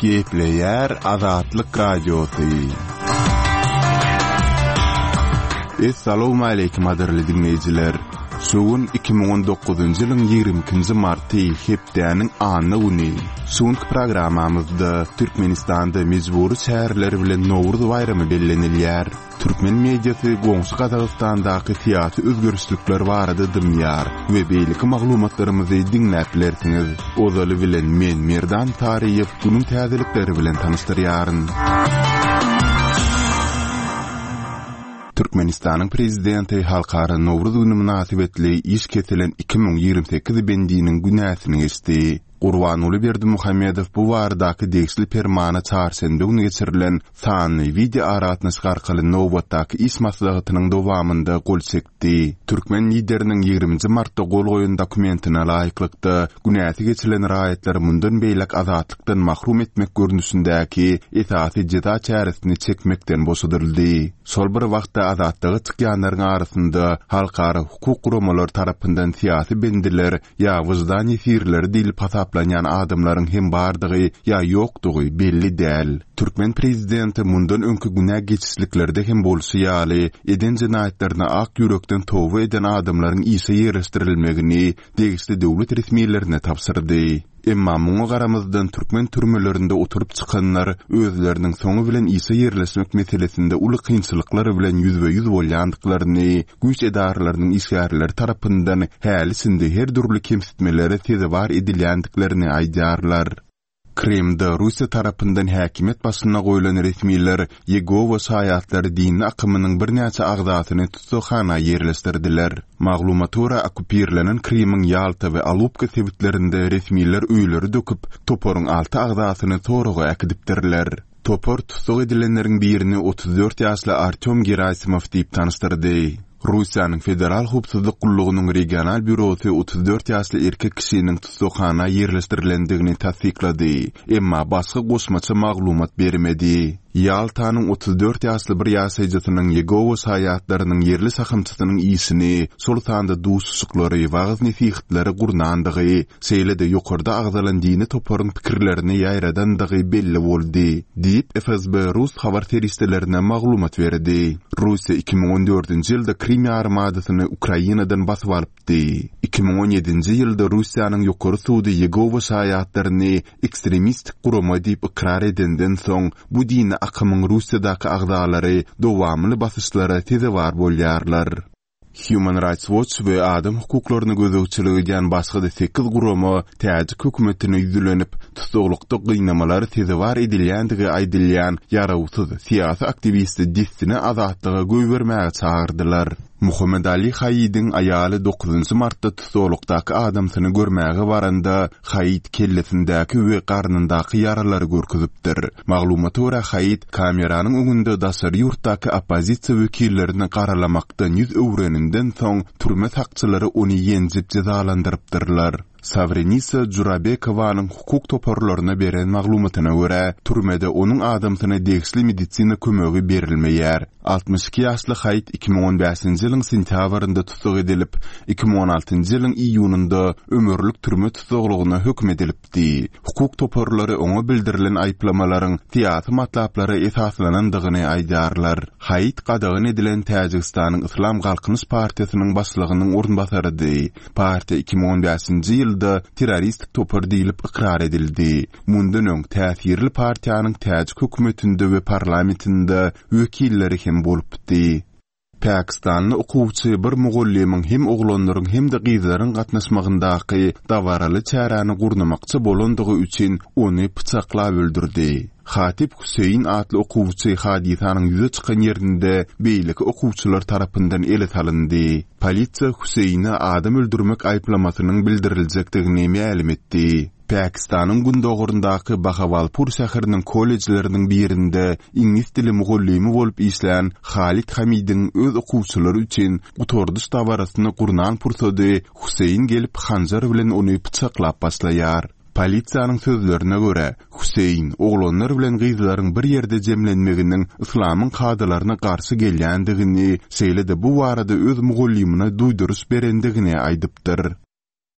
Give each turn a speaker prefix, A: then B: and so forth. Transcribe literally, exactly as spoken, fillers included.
A: Gepleýär Azatlyk Radiosy. Essalawmaleýkim gadyrly diňleýjiler! Şu gün iki müň on dokuzynjy ýylyň ýigrimi ikinji marty, hepdäniň anna güni. Şu günki programmamyzda Türkmenistanda mejbury çäreler bilen Nowruz baýramy bellenilýär. Türkmen mediasy goňşy Gazagystandaky syýasy özgerişlikler barada dymýar we beýleki maglumatlarymyzy diňläp bilersiňiz. Ozaly bilen men Merdan Saryýew günüň täzelikleri bilen tanyşdyrýaryn. Türkmenistanyň Prezidenti Halkara Nowruz güni mynasybetli iş kesilen iki müň ýigrimi sekiz bendiniň günäsini geçdi. Gurbanguly Berdimuhamedow bu baradaky degişli permana çarşenbe güni geçirilen sanly wideoaragatnaşyk arkaly nobatdaky iş maslahatynyň dowamynda gol çekdi. Türkmen Lideriniň ýigriminji martda gol goýan dokumentine laýyklykda, günäsi geçilen raýatlary mundan beýläk azatlykdan mahrum etmek görnüşindäki esasy jeza çäresini çekmekden boşadyldy. Şol bir wagtda azatlyga çykýanlaryň arasynda halkara hukuk guramalary tarapyndan syýasy bendiler ýa wyždan ýesirleri diýlip hasaplanýan adamlaryň hem bardygy ýa ýokdugy belli däl. Türkmen prezidenti mundan öňki günä geçişliklerde hem bolşy ýaly, eden jenaýatlaryna ak ýürekden toba eden adamlaryň işe ýerleşdirilmegini degişli döwlet resmilerine tabşyrdy. Emma muňa garamazdan türkmen türmelerinde oturyp çykanlar özleriniň soňy bilen işe ýerleşmek meselesinde uly kynçylyklar bilen ýüzbe-ýüz bolýandyklaryny, güýç edaralarynyň işgärleri tarapyndan häli-şindi her dürli kemsitmelere sezewar edilýändiklerini aýdýarlar. Krymda Russiýa tarapyndan häkimiýet başyna goýlan resmiler Ýegowa şaýatlary dini akymynyň birnäçe agzasyny tussaghana ýerleşdirdiler. Maglumata görä, okkupirlenen Krymyň Ýalta we Alupka sebitlerinde resmiler öýleri döküp, toparyň alty agzasyny soraga äkidipdirler. Topar tussag edilenleriň birini otuz dört ýaşly Artýom Gerasimow diýip tanyşdyrdy. Russiýanyň Federal howpsuzlyk gullugynyň regional býurosy otuz dört ýaşly erkek kişiniň tussaghana ýerleşdirilendigini tassyklady, emma başga goşmaça maglumat bermedi. Ýaltanyň otuz dört ýaşly bir ýaşaýjysynyň Ýegowa şaýatlarynyň ýerli şahamçasynyň işini, şol sanda duşuşyklary, wagyz-nesihatlary gurnandygy, şeýle-de ýokarda agzalan dini toparyň pikirlerini ýaýradandygy belli boldy, diýip, F S B rus habar serişdelerine maglumat berdi. Russiýa iki müň on dördünji ýylda Krim ýarymadasyny Ukrainadan basyp alypdy. Iki müň on ýedinji ýylda Russiýanyň ýokary sudy Ýegowa şaýatlaryny ekstremistik gurama diýip ykrar edenden soň, bu dini akymyň Russiýadaky agzalary dowamly basyşlara sezewar bolýarlar. Human Rights Watch we adam hukuklaryny gözegçilik edýän başga-da sekiz gurama täjik hökümetine ýüzlenip, tussaglykda gynamalara sezewar edilýändigi aýdylýan ýarawsyz syýasy aktiwisti dessine azatlyga goýbermäge çagyrdylar. Muhammed Ali Haýidiň aýaly dokuzynjy martda tussaglykdaky adamsyny görmäge baranda Haýid kellesindäki we garnyndaky ýaralary görkezipdir. Maglumata görä Haýid kameranyň öňünde daşary ýurtdaky oppozisiýa wekillerini garalamakdan ýüz öwreninden soň türme sakçylary ony ýenjip jezalandyrypdyrlar. Sawrenisa Jurabekowanyň hukuk toparlaryna beren maglumatyna görä, türmede onuň adamsyna degişli medisina kömegi berilmeýär. Altmyş iki ýaşly Haýid iki müň on bäşinji ýylyň sentýabrynda tussag edilip, iki müň on altynjy ýylyň iýunynda ömürlik türme tussaglygyna höküm edilipdi. Hukuk toparlary oňa bildirilen aýyplamalaryň syýasy matlaplara esaslanandygyny aýdýarlar. Haýid gadagan edilen Täjigistanyň Yslam Galkynyş partiýasynyň başlygynyň orunbasarydy. Partiýa iki müň on bäşinji ýylda terroristik topar diýlip ykrar edildi. Mundan öň täsirli partiýanyň täjik hökümetinde we parlamentinde wekilleri hem bolupdy. Pakistanly okuwçy bir mugallymyň hem oglanlaryň hem-de gyzlaryň gatnaşmagyndaky dabaraly çäräni gurnamakçy bolandygy üçin ony pyçaklap öldürdi. Hatip Hüseýin atly okuwçy hadysanyň ýüze çykan ýerinde beýleki okuwçylar tarapyndan ele salyndy. Polisiýa Hüseýine adam öldürmek aýyplamasynyň bildiriljekdigini mälim etdi. Pakistanyň gündogaryndaky Bahawalpur şäheriniň kollejleriniň birinde iňlis dili mugallymy bolup işlän Halid Hamidiň öz okuwçylary üçin gutardyş dabarasyny gurnan pursady Hüseýin gelip hanjar bilen ony pyçaklap başlaýar. Polisiýanyň sözlerine görä, Hüseýin oglanlar bilen gyzlaryň bir ýerde jemlenmeginiň yslamyň kadalaryna garşy gelýändigini, şeýle-de bu barada öz mugallymyna duýduryş berendigini aýdypdyr.